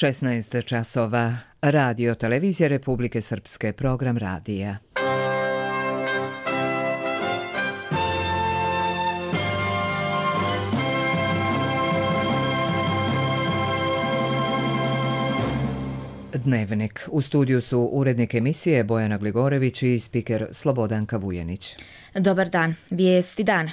16 časova. Radio Televizija Republike Srpske, program radija. Dnevnik. U studiju su urednik emisije Bojana Gligorević i spiker Slobodanka Vujenić. Dobar dan. Vijesti dana.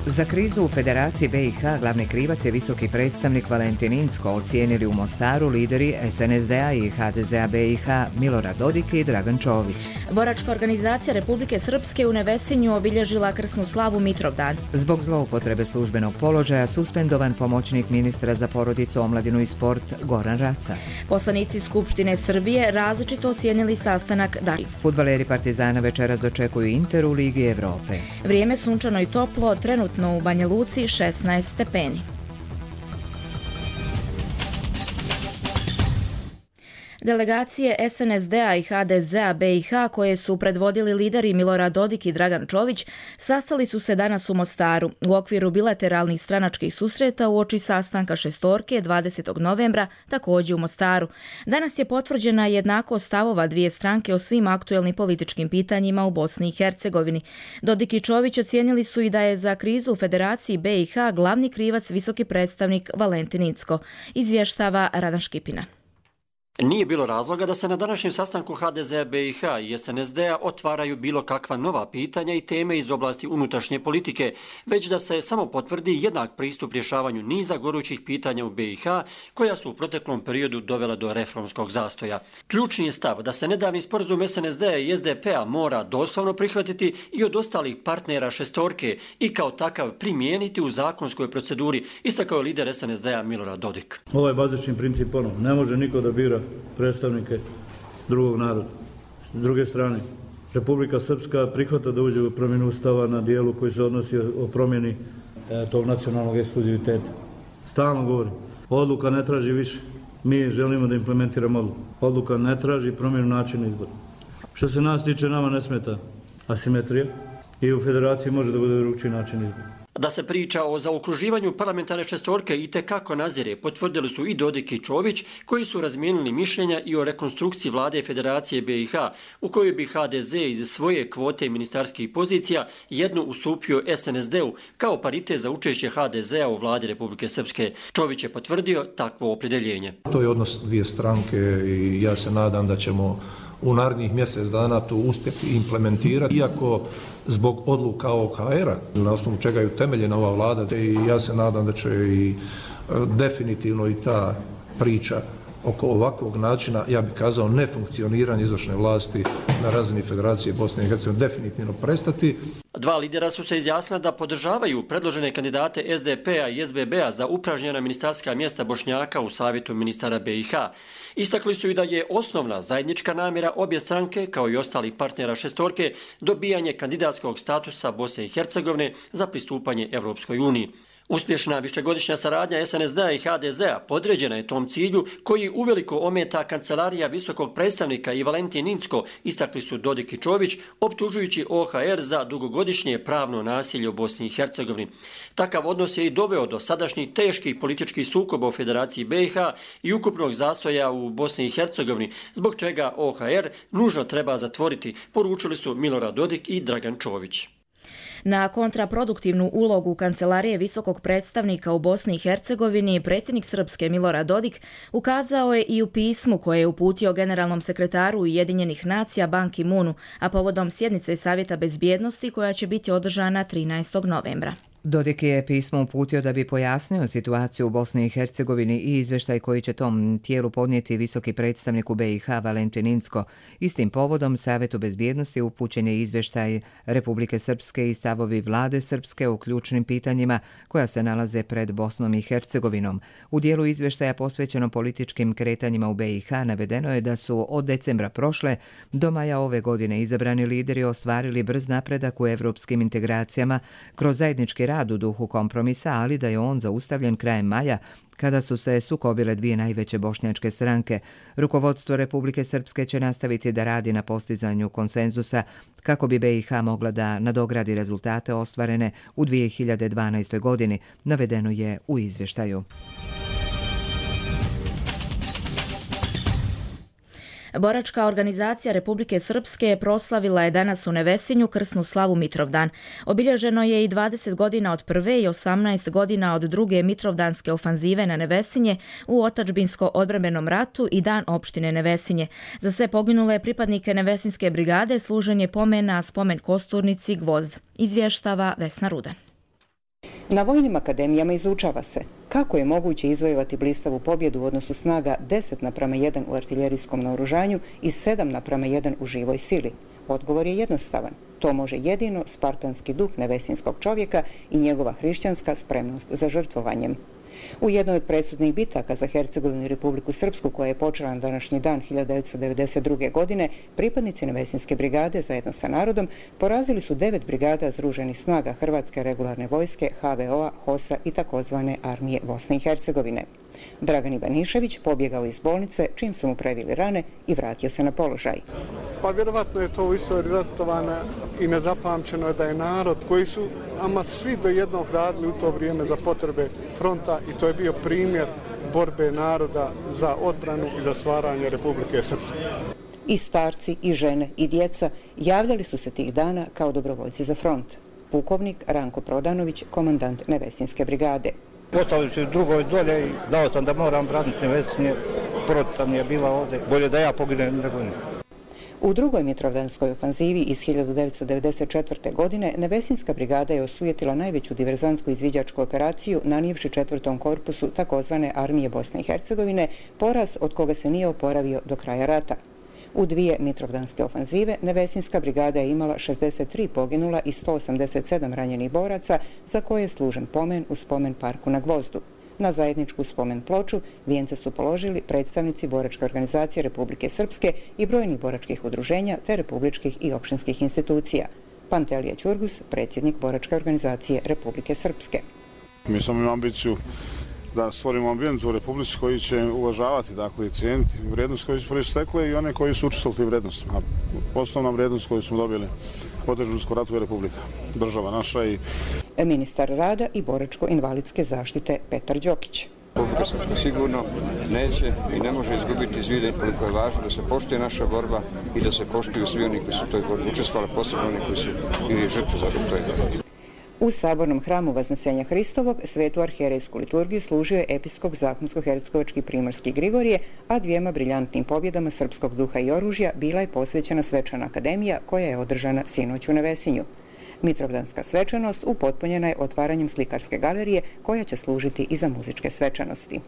Za krizu u Federaciji BiH glavni krivac je visoki predstavnik Valentin Incko, ocijenili u Mostaru lideri SNSD-a i HDZ-a BiH Milorad Dodik i Dragan Čović. Boračka organizacija Republike Srpske u Nevesinju obilježila krsnu slavu Mitrovdan. Zbog zloupotrebe službenog položaja suspendovan pomoćnik ministra za porodicu, omladinu i sport Goran Raca. Poslanici Skupštine Srbije različito ocijenili sastanak Dari. Fudbaleri Partizana večeras dočekuju Inter u Ligi Evrope. Vrijeme sunčano i toplo, trenutno u Banja Luci 16 stepeni. Delegacije SNSD-a i HDZ-a BiH koje su predvodili lideri Milorad Dodik i Dragan Čović sastali su se danas u Mostaru u okviru bilateralnih stranačkih susreta uoči sastanka šestorke 20. novembra također u Mostaru. Danas je potvrđena jednakost stavova dvije stranke o svim aktuelnim političkim pitanjima u Bosni i Hercegovini. Dodik i Čović ocijenili su i da je za krizu u Federaciji BiH glavni krivac visoki predstavnik Valentin Incko, izvještava Radan Škipina. Nije bilo razloga da se na današnjem sastanku HDZ-a BiH i SNSD-a otvaraju bilo kakva nova pitanja i teme iz oblasti unutrašnje politike, već da se samo potvrdi jednak pristup rješavanju niza gorućih pitanja u BiH koja su u proteklom periodu dovela do reformskog zastoja. Ključni je stav da se nedavni sporazum SNSD-a i SDP-a mora doslovno prihvatiti i od ostalih partnera šestorke i kao takav primijeniti u zakonskoj proceduri, istakao je lider SNSD-a Milorad Dodik. Ovo je bazični princip ne može niko da bira predstavnike drugog naroda. S druge strane, Republika Srpska prihvata da uđe u promjenu ustava na dijelu koji se odnosi o promjeni tog nacionalnog ekskluziviteta. Stalno govorim, odluka ne traži više. Mi želimo da implementiramo odluku. Odluka ne traži promjenu načina izbora. Što se nas tiče, nama ne smeta asimetrija i u federaciji može da bude drugčiji način izbora. Da se priča o zaokruživanju parlamentarne šestorke itekako nazire, potvrdili su i Dodik i Čović, koji su razmijenili mišljenja i o rekonstrukciji vlade Federacije BiH, u kojoj bi HDZ iz svoje kvote ministarskih pozicija jednu ustupio SNSD-u kao paritet za učešće HDZ-a u vladi Republike Srpske. Čović je potvrdio takvo opredjeljenje. To je odnos dvije stranke i ja se nadam da ćemo u narednih mjesec dana to uspjeti implementirati, iako zbog odluka OHR-a, na osnovu čega je utemeljena ova vlada, i ja se nadam da će i definitivno i ta priča oko ovakvog načina, ja bih kazao, nefunkcioniranja izvršne vlasti na razini Federacije Bosne i Hercegovine definitivno prestati. Dva lidera su se izjasnila da podržavaju predložene kandidate SDP-a i SBB-a za upražnjena ministarska mjesta Bošnjaka u Savjetu ministara BiH. Istakli su i da je osnovna zajednička namjera obje stranke, kao i ostalih partnera šestorke, dobijanje kandidatskog statusa Bosne i Hercegovine za pristupanje Evropskoj uniji. Uspješna višegodišnja saradnja SNSD-a i HDZ-a podređena je tom cilju koji uveliko ometa kancelarija visokog predstavnika i Valentin Incko, istakli su Dodik i Čović, optužujući OHR za dugogodišnje pravno nasilje u Bosni i Hercegovini. Takav odnos je i doveo do sadašnjih teških političkih sukoba u Federaciji BiH i ukupnog zastoja u Bosni i Hercegovini, zbog čega OHR nužno treba zatvoriti, poručili su Milorad Dodik i Dragan Čović. Na kontraproduktivnu ulogu kancelarije visokog predstavnika u Bosni i Hercegovini predsjednik Srpske Milorad Dodik ukazao je i u pismu koje je uputio generalnom sekretaru Ujedinjenih nacija Ban Ki-moonu, a povodom sjednice Savjeta bezbjednosti koja će biti održana 13. novembra. Dodik je pismo uputio da bi pojasnio situaciju u Bosni i Hercegovini i izvještaj koji će tom tijelu podnijeti visoki predstavnik u BiH Valentin Incko. Istim povodom Savjetu bezbjednosti upućen je izvještaj Republike Srpske i stavovi vlade Srpske u ključnim pitanjima koja se nalaze pred Bosnom i Hercegovinom. U dijelu izvještaja posvećeno političkim kretanjima u BiH navedeno je da su od decembra prošle do maja ove godine izabrani lideri ostvarili brz napredak u evropskim integracijama kroz zajednički rad u duhu kompromisa, ali da je on zaustavljen krajem maja, kada su se sukobile dvije najveće bošnjačke stranke. Rukovodstvo Republike Srpske će nastaviti da radi na postizanju konsenzusa kako bi BiH mogla da nadogradi rezultate ostvarene u 2012. godini, navedeno je u izvještaju. Boračka organizacija Republike Srpske proslavila je danas u Nevesinju krsnu slavu Mitrovdan. Obilježeno je i 20 godina od prve i 18 godina od druge Mitrovdanske ofanzive na Nevesinje u otadžbinsko-odbrambenom ratu i dan opštine Nevesinje. Za sve poginule pripadnike Nevesinske brigade služen je pomen na spomen kosturnici Gvozd. Izvještava Vesna Rudan. Na vojnim akademijama izučava se kako je moguće izvojevati blistavu pobjedu u odnosu snaga 10:1 u artiljerijskom naoružanju i 7:1 u živoj sili. Odgovor je jednostavan. To može jedino spartanski duh nevesinskog čovjeka i njegova hrišćanska spremnost za žrtvovanjem. U jednoj od presudnih bitaka za Hercegovinu i Republiku Srpsku, koja je počela na današnji dan 1992. godine, pripadnici Nevesinske brigade zajedno sa narodom porazili su 9 brigada združenih snaga Hrvatske regularne vojske, HVO-a, HOS-a i takozvane armije Bosne i Hercegovine. Dragan Ivanišević pobjegao iz bolnice čim su mu previli rane i vratio se na položaj. Pa vjerovatno je to u istoriji ratovana i nezapamćeno da je narod koji su ama svi do jednog radili u to vrijeme za potrebe fronta i to je bio primjer borbe naroda za odbranu i za stvaranje Republike Srpske. I starci, i žene, i djeca javljali su se tih dana kao dobrovoljci za front. Pukovnik Ranko Prodanović, komandant Nevesinske brigade. Ostali su drugoj dolje i dao sam da moram braniti Nevesinje, porodica mi je bila ovdje, bolje da ja poginem nego ne. U drugoj Mitrovdanskoj ofanzivi iz 1994. godine Nevesinska brigada je osujetila najveću diverzantsku izviđačku operaciju nanijevši 4. korpusu takozvane armije Bosne i Hercegovine, poraz od koga se nije oporavio do kraja rata. U dvije Mitrovdanske ofanzive Nevesinska brigada je imala 63 poginula i 187 ranjenih boraca, za koje je služen pomen u spomen parku na Gvozdu. Na zajedničku spomen ploču vijence su položili predstavnici Boračke organizacije Republike Srpske i brojnih boračkih udruženja te republičkih i opštinskih institucija. Pantelija Ćurgus, predsjednik Boračke organizacije Republike Srpske. Mi smo imali ambiciju da stvorimo ambijent u Republici koji će uvažavati, dakle, i cijeniti vrijednost koju su proistekle i one koji su učestvovali tim vrijednostima. Osnovna vrijednost koju smo dobili u otadžbinskom ratu je Republika, država naša i... Ministar rada i boračko-invalidske zaštite Petar Đokić. Republika Srpska sigurno neće i ne može izgubiti iz vida koliko je važno da se poštuje naša borba i da se poštuju svi oni koji su u toj borbi učestvovali, posebno oni koji su bili žrtve za toj borbi. U sabornom hramu Vaznesenja Hristovog svetu arhijerejsku liturgiju služio je episkop Zahumsko-Hercegovački primarski Grigorije, a dvijema briljantnim pobjedama srpskog duha i oružja bila je posvećena svečana akademija koja je održana sinoć u Nevesinju. Mitrovdanska svečanost upotpunjena je otvaranjem slikarske galerije koja će služiti i za muzičke svečanosti.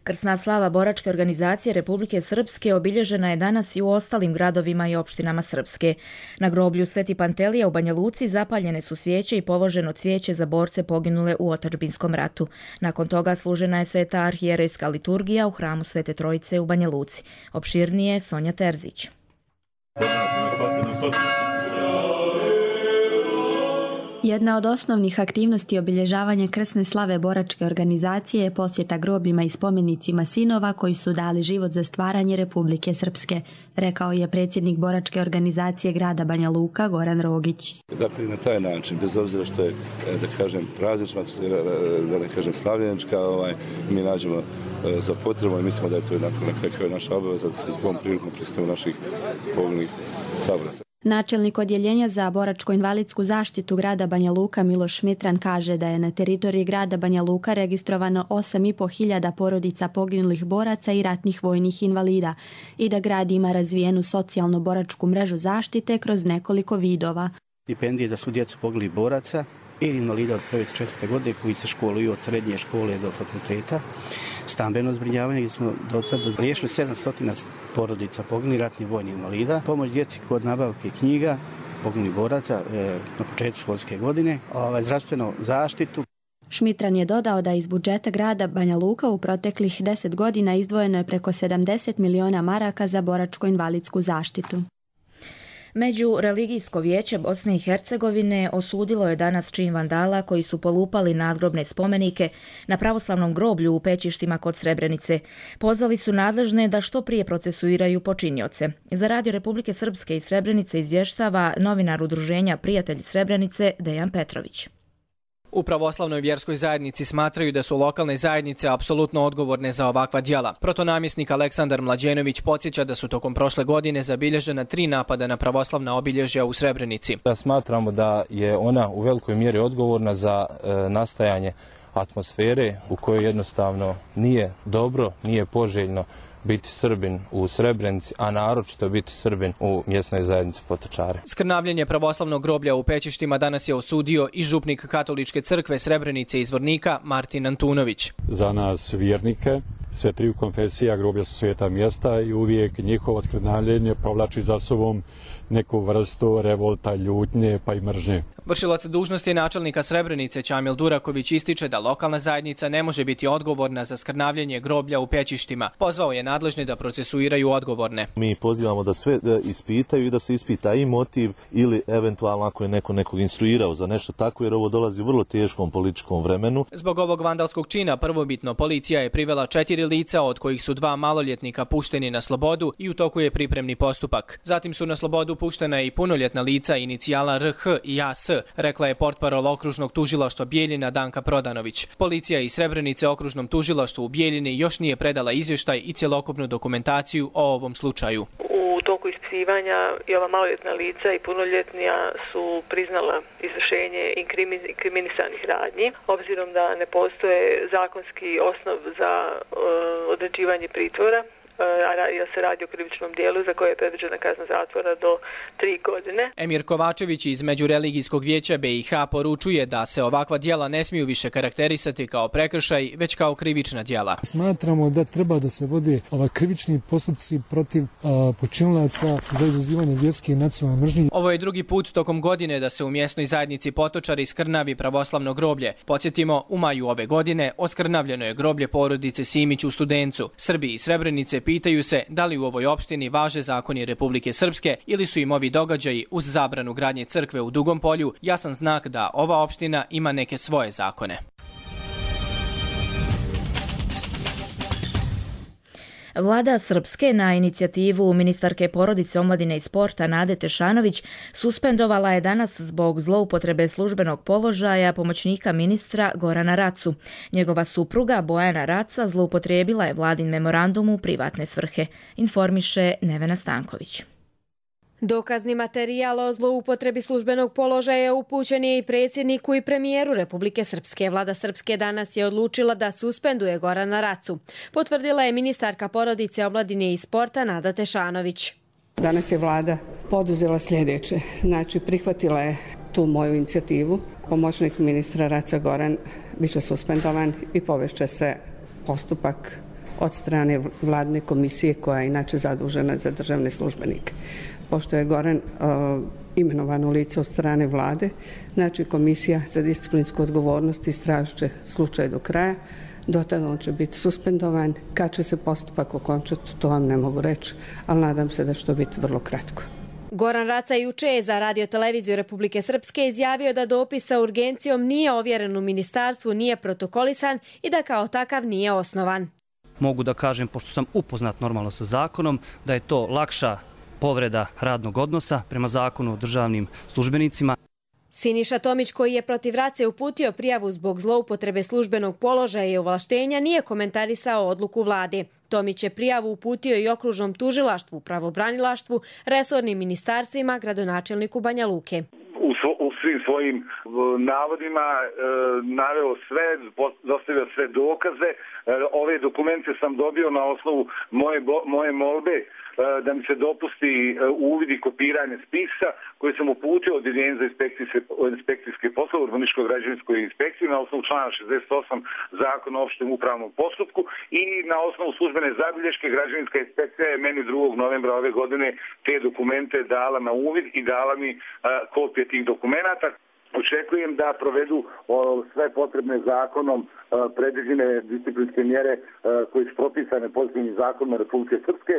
Krsna slava Boračke organizacije Republike Srpske obilježena je danas i u ostalim gradovima i opštinama Srpske. Na groblju Sveti Pantelija u Banja Luci zapaljene su svijeće i položeno cvijeće za borce poginule u otadžbinskom ratu. Nakon toga služena je sveta arhijerejska liturgija u hramu Svete Trojice u Banja Luci. Opširnije Sonja Terzić. Jedna od osnovnih aktivnosti obilježavanja krsne slave Boračke organizacije je posjeta grobljima i spomenicima sinova koji su dali život za stvaranje Republike Srpske, rekao je predsjednik Boračke organizacije grada Banja Luka Goran Rogić. Dakle, na taj način, bez obzira što je, da kažem, praznična, da ne kažem slavljenička, mi nađemo za potrebu i mislimo da je to na kraju naša obaveza da se tom prilikom predstavimo naših poginulih saboraca. Načelnik odjeljenja za boračko-invalidsku zaštitu grada Banja Luka Miloš Šmitran kaže da je na teritoriji grada Banja Luka registrovano 8.500 porodica poginulih boraca i ratnih vojnih invalida i da grad ima razvijenu socijalno-boračku mrežu zaštite kroz nekoliko vidova. Stipendije za svu djecu poginulih boraca i invalida od 1. do 4. godine koji se školuju od srednje škole do fakulteta. Stambeno zbrinjavanje gdje smo do sada riješili 700 porodica poginulih ratnih vojnih invalida. Pomoć djeci kod nabavke knjiga poginulih boraca na početku školske godine. Zdravstvenu zaštitu. Šmitran je dodao da iz budžeta grada Banja Luka u proteklih 10 godina izdvojeno je preko 70 miliona maraka za boračko-invalidsku zaštitu. Međureligijsko vijeće Bosne i Hercegovine osudilo je danas čin vandala koji su polupali nadgrobne spomenike na pravoslavnom groblju u Pećištima kod Srebrenice. Pozvali su nadležne da što prije procesuiraju počinioce. Za Radio Republike Srpske iz Srebrenice izvještava novinar udruženja Prijatelji Srebrenice Dejan Petrović. U pravoslavnoj vjerskoj zajednici smatraju da su lokalne zajednice apsolutno odgovorne za ovakva djela. Protonamjesnik Aleksandar Mlađenović podsjeća da su tokom prošle godine zabilježena 3 napada na pravoslavna obilježja u Srebrenici. Smatramo da je ona u velikoj mjeri odgovorna za nastajanje atmosfere u kojoj jednostavno nije dobro, nije poželjno biti Srbin u Srebrenici, a naročito biti Srbin u mjesnoj zajednici Potočare. Skrnavljenje pravoslavnog groblja u Pećištima danas je osudio i župnik Katoličke crkve Srebrenice i Zvornika Martin Antunović. Za nas vjernike, sve 3 konfesija groblja su sveta mjesta i uvijek njihovo skrnavljenje povlači za sobom neku vrstu revolta, ljutnje pa i mržnje. Vršilac dužnosti načelnika Srebrenice Čamil Duraković ističe da lokalna zajednica ne može biti odgovorna za skrnavljenje groblja u Pećištima. Pozvao je nadležne da procesuiraju odgovorne. Mi pozivamo da sve ispitaju i da se ispita i motiv ili eventualno ako je neko nekog instruirao za nešto tako, jer ovo dolazi u vrlo teškom političkom vremenu. Zbog ovog vandalskog čina prvobitno policija je privela 4 lica, od kojih su 2 maloljetnika pušteni na slobodu i u toku je pripremni postupak. Zatim su na slobodu puštena i punoljetna lica inicijala RH i AS, rekla je portparol okružnog tužilaštva Bijeljina Danka Prodanović. Policija iz Srebrenice okružnom tužilaštvu u Bijeljini još nije predala izvještaj i cjelokupnu dokumentaciju o ovom slučaju. U toku ispitivanja i ova maloljetna lica i punoljetnija su priznala izvršenje inkriminisanih radnji. Obzirom da ne postoje zakonski osnov za određivanje pritvora, jer se radi o krivičnom dijelu za koje je predviđena kazna zatvora do 3 godine. Emir Kovačević iz Međureligijskog vijeća BiH poručuje da se ovakva djela ne smiju više karakterisati kao prekršaj, već kao krivična djela. Smatramo da treba da se vode krivični postupci protiv počinilaca za izazivanje vjerske i nacionalne mržnje. Ovo je drugi put tokom godine da se u mjesnoj zajednici Potočari skrnavi pravoslavno groblje. Podsjetimo, u maju ove godine oskrnavljeno je groblje porodice Simić u Studencu. Srbi i Srebrenice pitaju se da li u ovoj opštini važe zakoni Republike Srpske ili su im ovi događaji uz zabranu gradnje crkve u Dugom Polju jasan znak da ova opština ima neke svoje zakone. Vlada Srpske na inicijativu ministarke porodice, omladine i sporta Nade Tešanović suspendovala je danas zbog zloupotrebe službenog položaja pomoćnika ministra Gorana Racu. Njegova supruga Bojana Raca zloupotrijebila je vladin memorandum u privatne svrhe, informiše Nevena Stanković. Dokazni materijal o zloupotrebi službenog položaja upućen je i predsjedniku i premijeru Republike Srpske. Vlada Srpske danas je odlučila da suspenduje Gorana Racu. Potvrdila je ministarka porodice, omladine i sporta Nada Tešanović. Danas je vlada poduzela sljedeće. Znači, prihvatila je tu moju inicijativu. Pomoćnik ministra Raca Goran biće suspendovan i povešće se postupak od strane vladne komisije koja je inače zadužena za državne službenike. Pošto je Goran imenovano lice od strane vlade, znači komisija za disciplinsku odgovornost istražit će slučaj do kraja. Do tada on će biti suspendovan. Kad će se postupak okončati, to vam ne mogu reći, ali nadam se da će to biti vrlo kratko. Goran Raca juče je za Radio-televiziju Republike Srpske izjavio da dopis sa urgencijom nije ovjeren u ministarstvu, nije protokolisan i da kao takav nije osnovan. Mogu da kažem, pošto sam upoznat normalno sa zakonom, da je to lakša povreda radnog odnosa prema zakonu o državnim službenicima. Siniša Tomić, koji je protiv Race uputio prijavu zbog zloupotrebe službenog položaja i ovlaštenja, nije komentarisao odluku vlade. Tomić je prijavu uputio i okružnom tužilaštvu, pravobranilaštvu, resornim ministarstvima, gradonačelniku Banja Luke. U svim svojim navodima naveo sve, dostavio sve dokaze. Ove dokumente sam dobio na osnovu moje molbe da mi se dopusti uvid i kopiranje spisa koje sam uputio od Jedinice za inspekcijske poslove urbanističko-građevinskoj inspekciji na osnovu člana 68 Zakona o opštem upravnom postupku i na osnovu službene zabilješke građevinska inspekcija je meni 2. novembra ove godine te dokumente dala na uvid i dala mi kopije tih dokumenata. Očekujem da provedu sve potrebne zakonom predviđene disciplinske mjere koje su propisane pozitivnim zakonom Republike Srpske.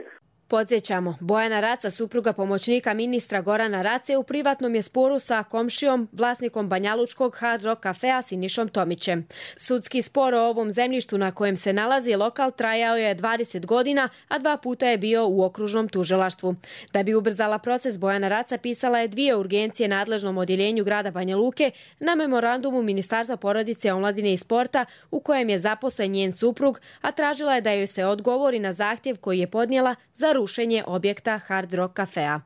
Podsjećamo, Bojana Raca, supruga pomoćnika ministra Gorana Race, u privatnom je sporu sa komšijom, vlasnikom banjalučkog Hard Rock kafea Sinišom Tomićem. Sudski spor o ovom zemljištu na kojem se nalazi lokal trajao je 20 godina, a 2 puta je bio u okružnom tužilaštvu. Da bi ubrzala proces, Bojana Raca pisala je 2 urgencije nadležnom odjeljenju grada Banja Luke na memorandumu Ministarstva porodice, omladine i sporta u kojem je zaposlen njen suprug, a tražila je da joj se odgovori na zahtjev koji je podnijela za rušenje objekta Hard Rock kafea.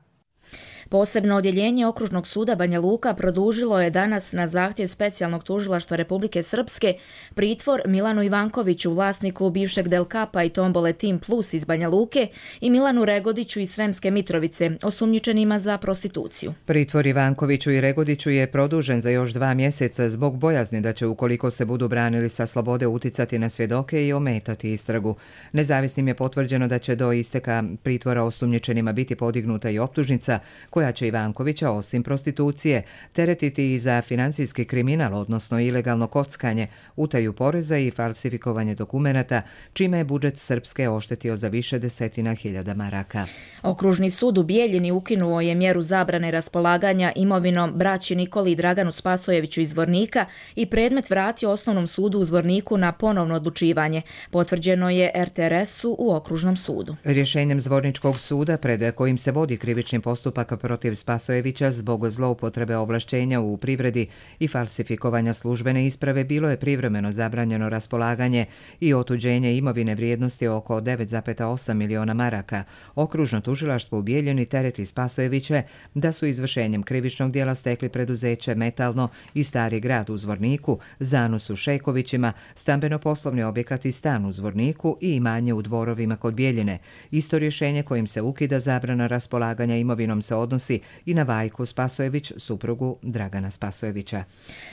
Posebno odjeljenje Okružnog suda Banja Luka produžilo je danas na zahtjev specijalnog tužilaštva Republike Srpske pritvor Milanu Ivankoviću, vlasniku bivšeg Del Kapa i Tombole Team Plus iz Banja Luke, i Milanu Regodiću iz Sremske Mitrovice, osumnjičenima za prostituciju. Pritvor Ivankoviću i Regodiću je produžen za još 2 mjeseca zbog bojazni da će, ukoliko se budu branili sa slobode, uticati na svjedoke i ometati istragu. Nezavisnim je potvrđeno da će do isteka pritvora osumnjičenima biti podignuta i optužnica koja će Ivankovića, osim prostitucije, teretiti i za financijski kriminal, odnosno ilegalno kockanje, utaju poreza i falsifikovanje dokumenata, čime je budžet Srpske oštetio za više desetina hiljada maraka. Okružni sud u Bijeljini ukinuo je mjeru zabrane raspolaganja imovinom braći Nikoli i Draganu Spasojeviću iz Zvornika i predmet vratio Osnovnom sudu u Zvorniku na ponovno odlučivanje. Potvrđeno je RTRS-u u Okružnom sudu. Rješenjem Zvorničkog suda, pred kojim se vodi krivični postupak protiv Spasojevića zbog zloupotrebe ovlašćenja u privredi i falsifikovanja službene isprave, bilo je privremeno zabranjeno raspolaganje i otuđenje imovine vrijednosti oko 9,8 miliona maraka. Okružno tužilaštvo u Bijeljini tereti Spasojeviće da su izvršenjem krivičnog djela stekli preduzeće Metalno i Stari grad u Zvorniku, Zanus u Šejkovićima, stambeno-poslovni objekat i stan u Zvorniku i imanje u Dvorovima kod Bijeljine. Isto rješenje kojim se ukida zabrana raspolaganja imovinom se odnosi i na Vajku Spasojević, suprugu Dragana Spasojevića.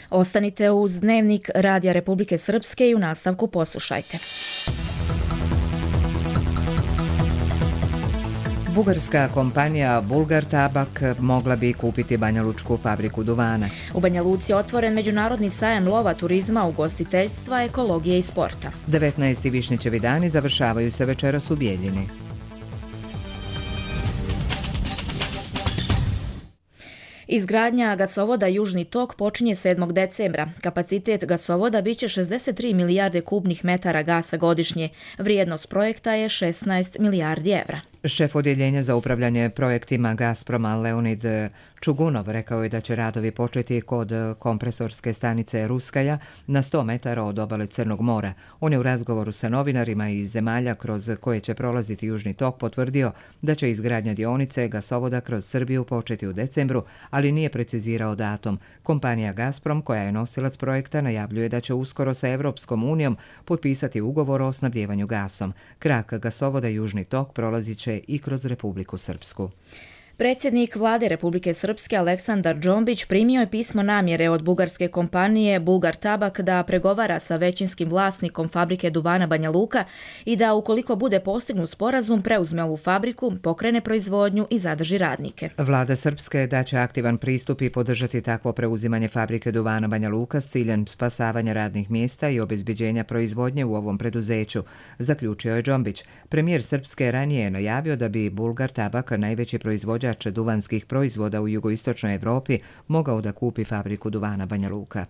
Ostanite uz Dnevnik Radija Republike Srpske i u nastavku poslušajte. Bugarska kompanija Bulgar Tabak mogla bi kupiti banjalučku fabriku duvana. U Banja Luci je otvoren međunarodni sajam lova, turizma, ugostiteljstva, ekologije i sporta. 19. Višnjićevi dani završavaju se večeras u Bijeljini. Izgradnja gasovoda Južni tok počinje 7. decembra. Kapacitet gasovoda biće 63 milijarde kubnih metara gasa godišnje. Vrijednost projekta je 16 milijardi evra. Šef odjeljenja za upravljanje projektima Gazproma Leonid Čugunov rekao je da će radovi početi kod kompresorske stanice Ruskaja na 100 metara od obale Crnog mora. On je u razgovoru sa novinarima iz zemalja kroz koje će prolaziti Južni tok potvrdio da će izgradnja dionice gasovoda kroz Srbiju početi u decembru, ali nije precizirao datum. Kompanija Gazprom, koja je nosilac projekta, najavljuje da će uskoro sa Evropskom unijom potpisati ugovor o snabdjevanju gasom. Krak gasovoda Južni tok prolazit će i kroz Republiku Srpsku. Predsjednik vlade Republike Srpske Aleksandar Džombić primio je pismo namjere od bugarske kompanije Bulgar Tabak da pregovara sa većinskim vlasnikom fabrike duvana Banja Luka i da, ukoliko bude postignut sporazum, preuzme ovu fabriku, pokrene proizvodnju i zadrži radnike. Vlada Srpske daće aktivan pristup i podržati takvo preuzimanje fabrike duvana Banja Luka s ciljem spasavanja radnih mjesta i obezbeđenja proizvodnje u ovom preduzeću, zaključio je Džombić. Premijer Srpske ranije je najavio da bi Bulgar Tabak, najveći proizvođač duvanskih proizvoda u jugoistočnoj Evropi, mogao da kupi fabriku duvana Banja Luka.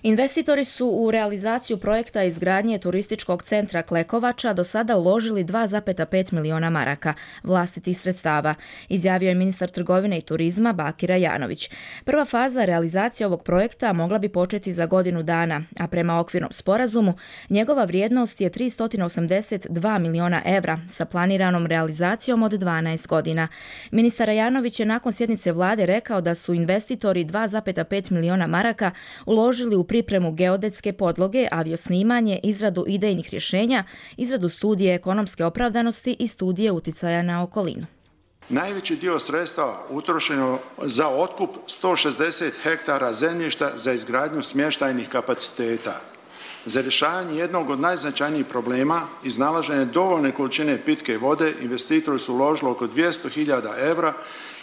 Investitori su u realizaciju projekta izgradnje turističkog centra Klekovača do sada uložili 2,5 miliona maraka vlastitih sredstava, izjavio je ministar trgovine i turizma Bakira Janović. Prva faza realizacije ovog projekta mogla bi početi za godinu dana, a prema okvirnom sporazumu njegova vrijednost je 382 miliona evra sa planiranom realizacijom od 12 godina. Ministar Janović je nakon sjednice vlade rekao da su investitori 2,5 miliona maraka uložili u pripremu geodetske podloge, aviosnimanje, izradu idejnih rješenja, izradu studije ekonomske opravdanosti i studije uticaja na okolinu. Najveći dio sredstava utrošeno za otkup 160 hektara zemljišta za izgradnju smještajnih kapaciteta. Za rješavanje jednog od najznačajnijih problema, iznalaženje dovoljne količine pitke vode, investitori su uložili oko 200.000 evra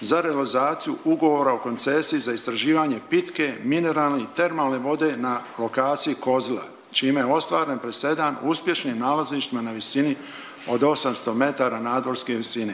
za realizaciju ugovora o koncesiji za istraživanje pitke, mineralne i termalne vode na lokaciji Kozila, čime je ostvaren presedan uspješnim nalazištima na visini od 800 metara nadmorske visine.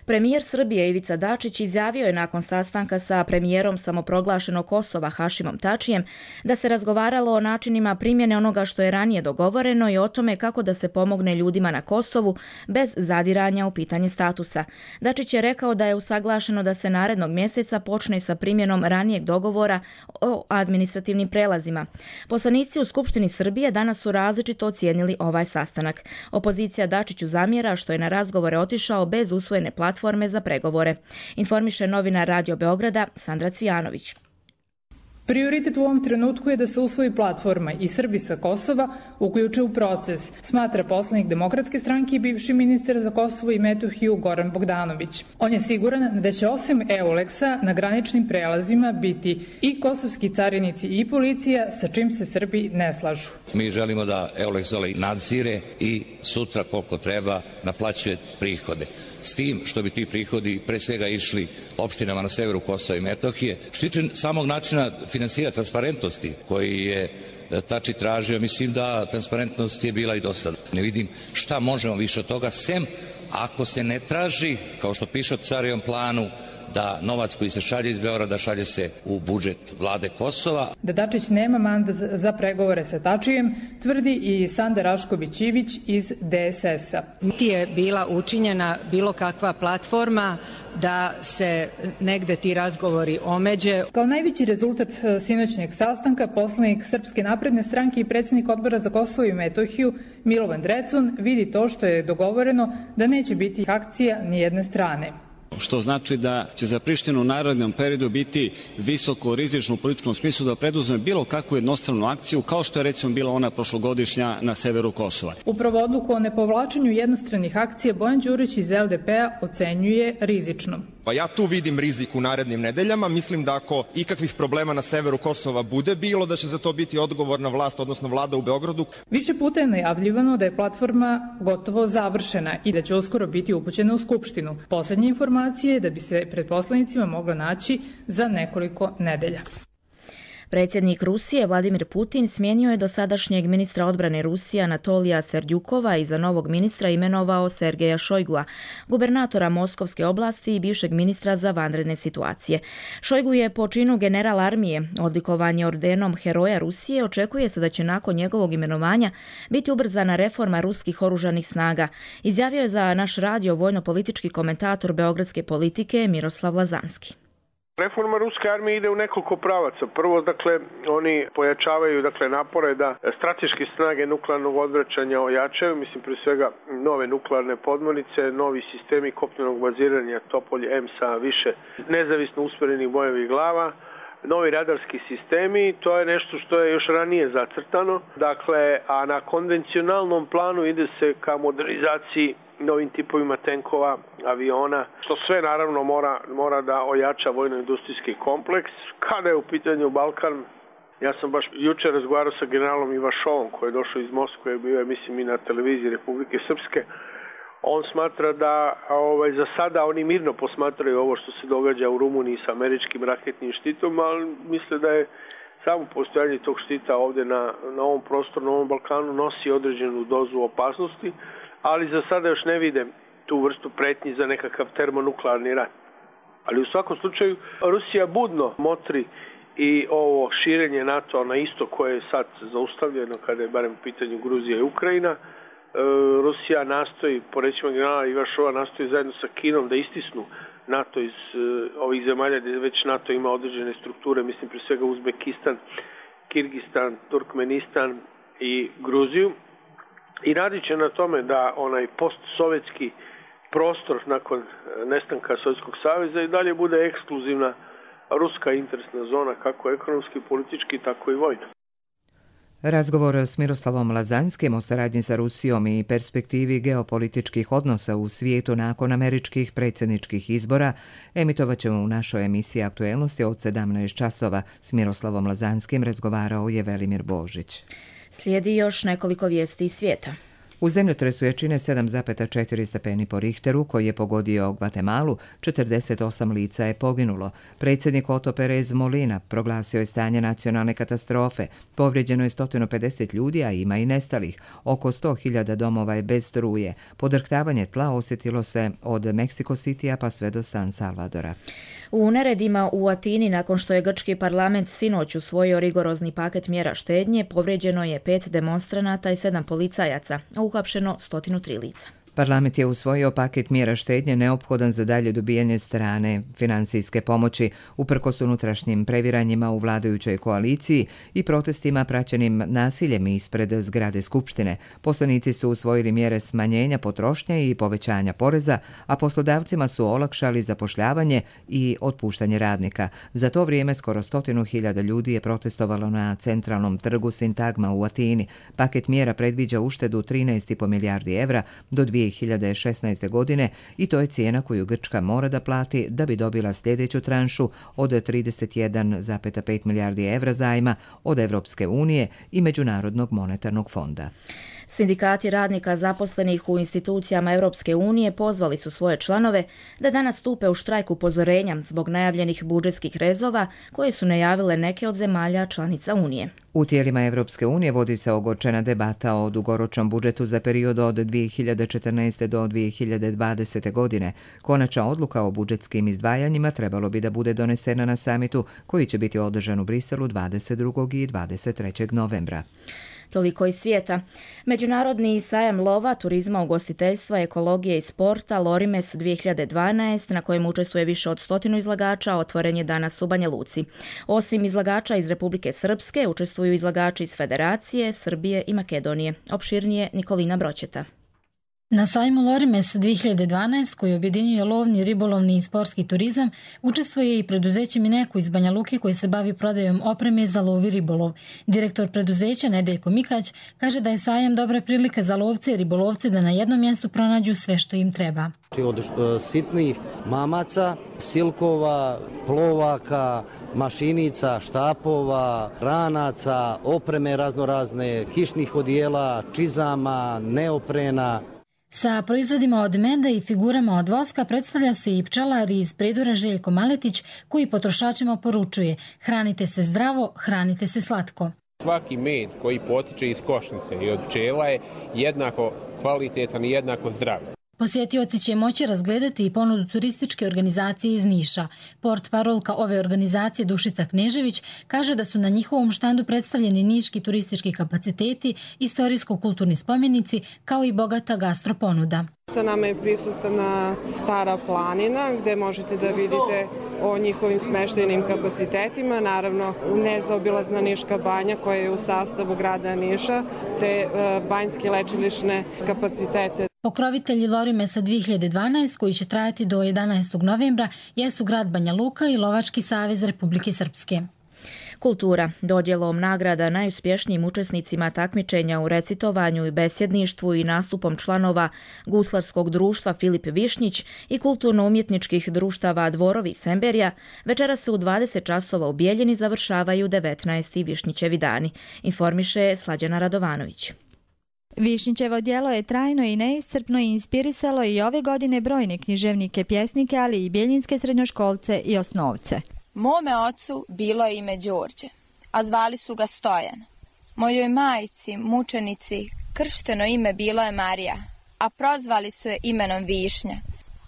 Premijer Srbije Ivica Dačić izjavio je nakon sastanka sa premijerom samoproglašenog Kosova Hašimom Tačijem da se razgovaralo o načinima primjene onoga što je ranije dogovoreno i o tome kako da se pomogne ljudima na Kosovu bez zadiranja u pitanje statusa. Dačić je rekao da je usaglašeno da se narednog mjeseca počne sa primjenom ranijeg dogovora o administrativnim prelazima. Poslanici u Skupštini Srbije danas su različito ocijenili ovaj sastanak. Opozicija Dačiću zamjera što je na razgovore otišao bez usvojene platforme za pregovore. Informiše novinar Radio Beograda Sandra Cvijanović. Prioritet u ovom trenutku je da se usvoji platforma i Srbi sa Kosova uključe u proces, smatra poslanik Demokratske stranke i bivši ministar za Kosovo i Metohiju Goran Bogdanović. On je siguran da će osim EULEX-a na graničnim prelazima biti i kosovski carinici i policija, sa čim se Srbi ne slažu. Mi želimo da EULEX nadzire i sutra koliko treba naplaćuje prihode. S tim što bi ti prihodi pre svega išli opštinama na severu Kosova i Metohije. Što tiče samog načina finansiranja transparentnosti koji je Tači tražio, mislim da transparentnost je bila i do sada. Ne vidim šta možemo više od toga, sem ako se ne traži, kao što piše u Carijevom planu, da novac koji se šalje iz Beograda šalje se u budžet vlade Kosova. Da Dačić nema mandat za pregovore sa Tačijem, tvrdi i Sanda Rašković-Ivić iz DSS-a. Niti je bila učinjena bilo kakva platforma da se negde ti razgovori omeđe. Kao najveći rezultat sinoćnjeg sastanka, poslanik Srpske napredne stranke i predsjednik Odbora za Kosovo i Metohiju Milovan Drecun vidi to što je dogovoreno da neće biti akcija ni jedne strane. Što znači da će za Prištinu u narednom periodu biti visoko rizično u političkom smislu da preduzme bilo kakvu jednostranu akciju, kao što je recimo bila ona prošlogodišnja na severu Kosova. Upravo odluku o nepovlačenju jednostranih akcija Bojan Đurić iz LDP-a ocenjuje rizičnom. Pa ja tu vidim rizik u narednim nedeljama. Mislim da ako ikakvih problema na severu Kosova bude bilo, da će za to biti odgovorna vlast, odnosno vlada u Beogradu. Više puta je najavljivano da je platforma gotovo završena i da će uskoro biti upućena u Skupštinu. Poslednje informacije je da bi se pred poslanicima mogla naći za nekoliko nedelja. Predsjednik Rusije Vladimir Putin smijenio je dosadašnjeg ministra odbrane Rusije Anatolija Serdjukova i za novog ministra imenovao Sergeja Šojgua, gubernatora Moskovske oblasti i bivšeg ministra za vanredne situacije. Šojgu je po činu general armije, odlikovanje ordenom Heroja Rusije, očekuje se da će nakon njegovog imenovanja biti ubrzana reforma ruskih oružanih snaga, izjavio je za naš radio vojno-politički komentator beogradske politike Miroslav Lazanski. Reforma ruske armije ide u nekoliko pravaca. Prvo, oni pojačavaju napore da strateške snage nuklearnog odvraćanja ojačaju, mislim pre svega nove nuklearne podmornice, novi sistemi kopnenog baziranja Topolje M sa više nezavisno usmjerenih bojevih glava, novi radarski sistemi, to je nešto što je još ranije zacrtano. A na konvencionalnom planu ide se ka modernizaciji novim tipovima tenkova, aviona, što sve naravno mora da ojača vojno-industrijski kompleks. Kada je u pitanju Balkan, ja sam baš jučer razgovarao sa generalom Ivašovom koji je došao iz Moskve, bio je mislim i na televiziji Republike Srpske. On smatra da za sada oni mirno posmatraju ovo što se događa u Rumuniji sa američkim raketnim štitom, ali misle da je samo postojanje tog štita ovdje na ovom prostoru, na ovom Balkanu nosi određenu dozu opasnosti, ali za sada još ne vide tu vrstu pretnji za nekakav termonuklearni rat. Ali u svakom slučaju Rusija budno motri i ovo širenje NATO na isto koje je sad zaustavljeno kada je barem u pitanju Gruzija i Ukrajina. Rusija nastoji, po rečima generala Ivašova, nastoji zajedno sa Kinom da istisnu NATO iz ovih zemalja gdje već NATO ima određene strukture, mislim pre svega Uzbekistan, Kirgistan, Turkmenistan i Gruziju. I radit će na tome da onaj postsovjetski prostor nakon nestanka Sovjetskog saveza i dalje bude ekskluzivna ruska interesna zona, kako ekonomski, politički, tako i vojno. Razgovor s Miroslavom Lazanskim o saradnji sa Rusijom i perspektivi geopolitičkih odnosa u svijetu nakon američkih predsjedničkih izbora emitovat ćemo u našoj emisiji Aktuelnosti od 17 časova. S Miroslavom Lazanskim razgovarao je Velimir Božić. Slijedi još nekoliko vijesti iz svijeta. U zemljotresu jačine 7,4 stepeni po Richteru, koji je pogodio Gvatemalu, 48 lica je poginulo. Predsjednik Otto Pérez Molina proglasio je stanje nacionalne katastrofe. Povrijeđeno je 150 ljudi, a ima i nestalih. Oko 100.000 domova je bez struje. Podrhtavanje tla osjetilo se od Mexico Citya pa sve do San Salvadora. U neredima u Atini, nakon što je grčki parlament sinoć usvojio rigorozni paket mjera štednje, povrijeđeno je 5 demonstranata i 7 policajaca, a uhapšeno 103 lica. Parlament je usvojio paket mjera štednje neophodan za dalje dobijanje strane financijske pomoći, uprkos unutrašnjim previranjima u vladajućoj koaliciji i protestima praćenim nasiljem ispred zgrade Skupštine. Poslanici su usvojili mjere smanjenja potrošnje i povećanja poreza, a poslodavcima su olakšali zapošljavanje i otpuštanje radnika. Za to vrijeme skoro 100.000 ljudi je protestovalo na centralnom trgu Sintagma u Atini. Paket mjera predviđa uštedu 13,5 milijardi evra do 2016. godine i to je cijena koju Grčka mora da plati da bi dobila sljedeću tranšu od 31,5 milijardi evra zajma od Evropske unije i Međunarodnog monetarnog fonda. Sindikati radnika zaposlenih u institucijama Europske unije pozvali su svoje članove da danas stupe u štrajk upozorenja zbog najavljenih budžetskih rezova koje su najavile neke od zemalja članica Unije. U tijelima Evropske unije vodi se ogorčena debata o dugoročnom budžetu za period od 2014. do 2020. godine. Konačna odluka o budžetskim izdvajanjima trebalo bi da bude donesena na samitu koji će biti održan u Briselu 22. i 23. novembra. Toliko iz svijeta. Međunarodni sajam lova, turizma, ugostiteljstva, ekologije i sporta Lorimes 2012, na kojem učestvuje više od 100 izlagača, otvoren je danas u Banja Luci. Osim izlagača iz Republike Srpske, učestvuju izlagači iz Federacije, Srbije i Makedonije. Opširnije Nikolina Broćeta. Na sajmu Lorimes 2012, koji objedinjuje lovni, ribolovni i sportski turizam, učestvuje i preduzeće Mineku iz Banja Luke koji se bavi prodajom opreme za lov i ribolov. Direktor preduzeća Nedeljko Mikać kaže da je sajam dobra prilika za lovce i ribolovce da na jednom mjestu pronađu sve što im treba. Od sitnih mamaca, silkova, plovaka, mašinica, štapova, ranaca, opreme raznorazne, kišnih odijela, čizama, neoprena. Sa proizvodima od meda i figurama od voska predstavlja se i pčelar iz Predura Željko Maletić koji potrošačima poručuje: hranite se zdravo, hranite se slatko. Svaki med koji potiče iz košnice i od pčela je jednako kvalitetan i jednako zdrav. Posjetioci će moći razgledati i ponudu turističke organizacije iz Niša. Portparolka ove organizacije Dušica Knežević kaže da su na njihovom štandu predstavljeni niški turistički kapaciteti, istorijsko-kulturni spomenici kao i bogata gastroponuda. Sa nama je prisutna Stara planina gdje možete da vidite o njihovim smeštajnim kapacitetima, naravno nezaobilazna Niška banja koja je u sastavu grada Niša, te banjske lečilišne kapacitete. Pokrovitelji Lorimesa 2012, koji će trajati do 11. novembra, jesu grad Banja Luka i Lovački savez Republike Srpske. Kultura. Dodjelom nagrada najuspješnijim učesnicima takmičenja u recitovanju i besjedništvu i nastupom članova Guslarskog društva Filip Višnjić i kulturno-umjetničkih društava Dvorovi Semberija, večera se u 20 časova u Bijeljini završavaju 19. Višnjićevi dani, informiše Slađana Radovanović. Višnjićevo djelo je trajno i neiscrpno i inspirisalo i ove godine brojne književnike, pjesnike, ali i bijeljinske srednjoškolce i osnovce. Mome ocu bilo je ime Đorđe, a zvali su ga Stojan. Mojoj majci, mučenici, kršteno ime bilo je Marija, a prozvali su je imenom Višnja.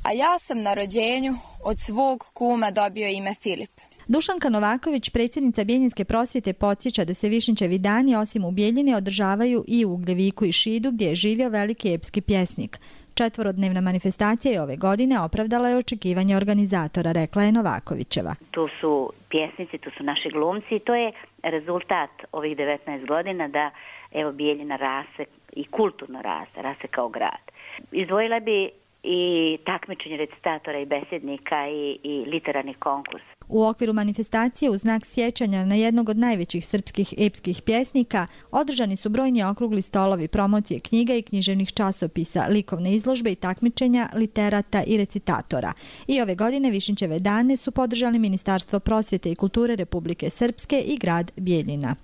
A ja sam na rođenju od svog kuma dobio ime Filip. Dušanka Novaković, predsjednica Bijeljinske prosvjete, podsjeća da se Višnjićevi dani osim u Bijeljini održavaju i u Ugljeviku i Šidu gdje je živio veliki epski pjesnik. 4-dnevna manifestacija je ove godine opravdala je očekivanje organizatora, rekla je Novakovićeva. Tu su pjesnici, tu su naši glumci i to je rezultat ovih 19 godina da evo Bijeljina raste i kulturno raste kao grad. Izdvojila bi i takmičenje recitatora i besjednika i literarni konkurs. U okviru manifestacije u znak sjećanja na jednog od najvećih srpskih epskih pjesnika održani su brojni okrugli stolovi, promocije knjiga i književnih časopisa, likovne izložbe i takmičenja literata i recitatora. I ove godine Višnjićeve dane su podržali Ministarstvo prosvjete i kulture Republike Srpske i grad Bijeljina.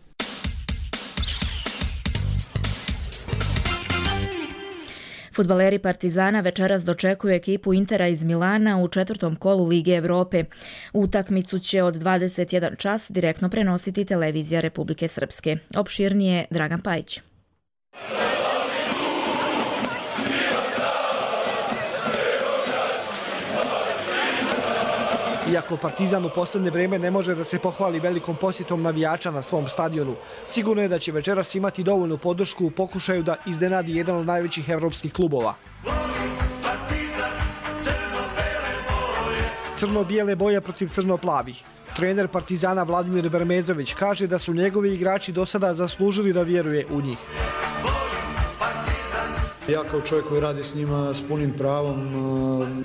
Fudbaleri Partizana večeras dočekuju ekipu Intera iz Milana u 4. kolu Lige Evrope. Utakmicu će od 21 čas direktno prenositi televizija Republike Srpske. Opširnije Dragan Pajić. Iako Partizan u posljednje vrijeme ne može da se pohvali velikom posjetom navijača na svom stadionu, sigurno je da će večeras imati dovoljnu podršku u pokušaju da iznenadi jedan od najvećih evropskih klubova. Crno-bijele boje protiv crno-plavih. Trener Partizana Vladimir Vermezović kaže da su njegovi igrači do sada zaslužili da vjeruje u njih. Ja kao čovjek koji radi s njima s punim pravom,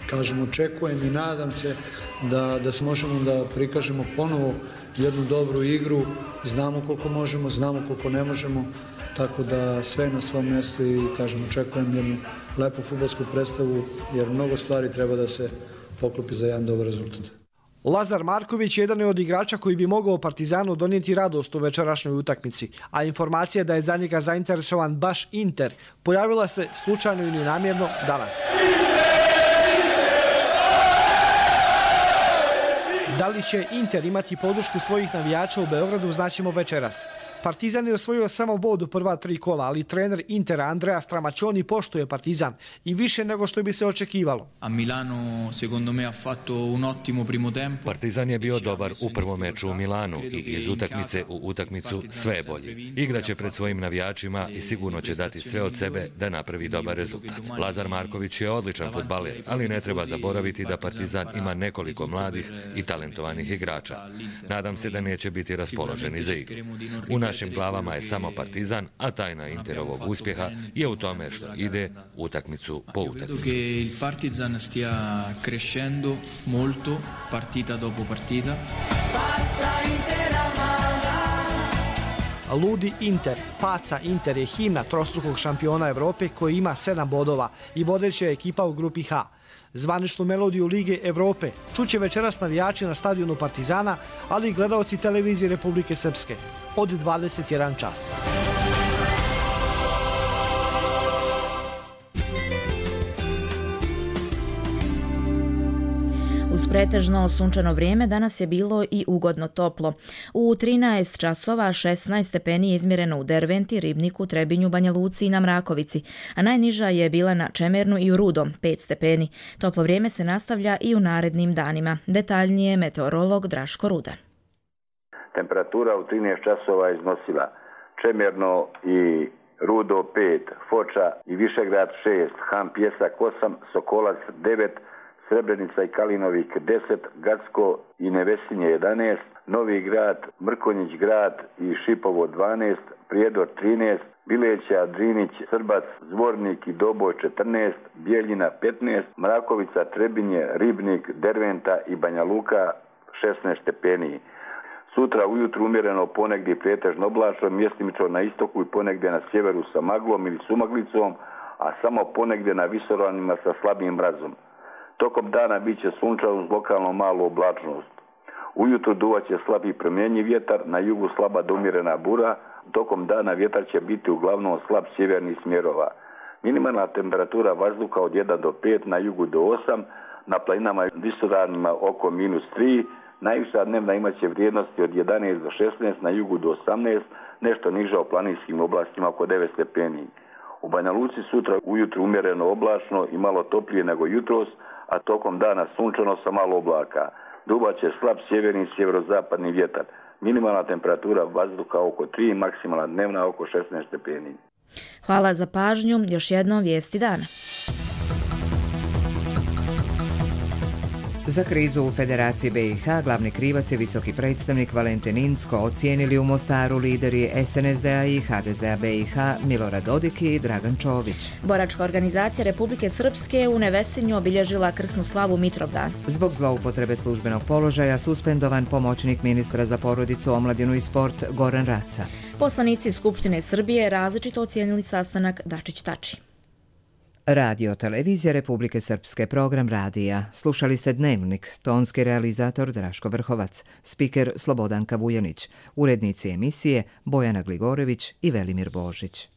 kažem, očekujem i nadam se da se možemo da prikažemo ponovo jednu dobru igru. Znamo koliko možemo, znamo koliko ne možemo, tako da sve na svom mjestu i, kažem, očekujem jednu lepu fudbalsku predstavu, jer mnogo stvari treba da se poklopi za jedan dobar rezultat. Lazar Marković jedan je od igrača koji bi mogao Partizanu donijeti radost u večerašnjoj utakmici, a informacija da je za njega zainteresovan baš Inter pojavila se slučajno ili namjerno danas. Da li će Inter imati podršku svojih navijača u Beogradu, znaćemo večeras. Partizan je osvojio samo bod u prva 3 kola, ali trener Intera Andrea Stramaccioni poštuje Partizan i više nego što bi se očekivalo. Partizan je bio dobar u prvom meču u Milanu i iz utakmice u utakmicu sve je bolji. Igraće pred svojim navijačima i sigurno će dati sve od sebe da napravi dobar rezultat. Lazar Marković je odličan fudbaler, ali ne treba zaboraviti da Partizan ima nekoliko mladih i talentovanih igrača. Nadam se da neće biti raspoloženi za igru. U našim glavama je samo Partizan, a tajna Interovog uspjeha je u tome što ide utakmicu po utakmici. Partizan stia crescendo molto partita dopo partita. Ludi Inter, Paca Inter je himna trostrukog šampiona Evrope koji ima 7 bodova i vodeća je ekipa u grupi H. Zvaničnu melodiju Lige Evrope čuće večeras navijači na stadionu Partizana, ali i gledaoci televizije Republike Srpske od 21 čas. Uz pretežno sunčano vrijeme danas je bilo i ugodno toplo. U 13 časova 16 stepeni je izmjereno u Derventi, Ribniku, Trebinju, Banja Luci i na Mrakovici, a najniža je bila na Čemernu i u Rudom, 5 stepeni. Toplo vrijeme se nastavlja i u narednim danima. Detaljnije meteorolog Draško Rudan. Temperatura u 13 časova iznosila Čemerno i Rudo 5, Foča i Višegrad 6, Han Pjesak 8, Sokolac 9, Srebrenica i Kalinovik 10, Gacko i Nevesinje 11, Novi Grad, Mrkonjić Grad i Šipovo 12, Prijedor 13, Bileća, Drinić, Srbac, Zvornik i Doboj 14, Bijeljina 15, Mrakovica, Trebinje, Ribnik, Derventa i Banja Luka 16 stepeni. Sutra ujutru umjereno ponegdje pretežno oblačno, mjestimično na istoku i ponegdje na sjeveru sa maglom ili sumaglicom, a samo ponegdje na visoravnima sa slabim mrazom. Tokom dana bit će sunčano uz lokalno malu oblačnost. Ujutro duvaće slab i promjenjiv vjetar, na jugu slaba do umjerena bura, tokom dana vjetar će biti uglavnom slab sjevernih smjerova. Minimalna temperatura vazduha od 1 do 5, na jugu do 8, na planinama i visoravnima oko -3, najviša dnevna imaće vrijednosti od 11 do 16, na jugu do 18, nešto niže u planinskim oblastima oko 9 stepeni. U Banja Luci sutra ujutru umjereno oblačno i malo toplije nego jutros, a tokom dana sunčano sa malo oblaka. Duvaće slab sjeverni i sjeverozapadni vjetar. Minimalna temperatura vazduha oko 3, maksimalna dnevna oko 16 stepeni. Hvala za pažnju. Još jednom vijesti dana. Za krizu u Federaciji BiH glavni krivac je visoki predstavnik Valentin Incko, ocijenili u Mostaru lideri SNSD-a i HDZ-a BiH Milorad Dodik i Dragan Čović. Boračka organizacija Republike Srpske u Nevesinju obilježila krsnu slavu Mitrovdan. Zbog zloupotrebe službenog položaja suspendovan pomoćnik ministra za porodicu, omladinu i sport Goran Raca. Poslanici Skupštine Srbije različito ocijenili sastanak Dačić-Tači. Radio televizija Republike Srpske, program radija. Slušali ste Dnevnik, tonski realizator Draško Vrhovac, spiker Slobodanka Vujanić, urednici emisije Bojana Gligorević i Velimir Božić.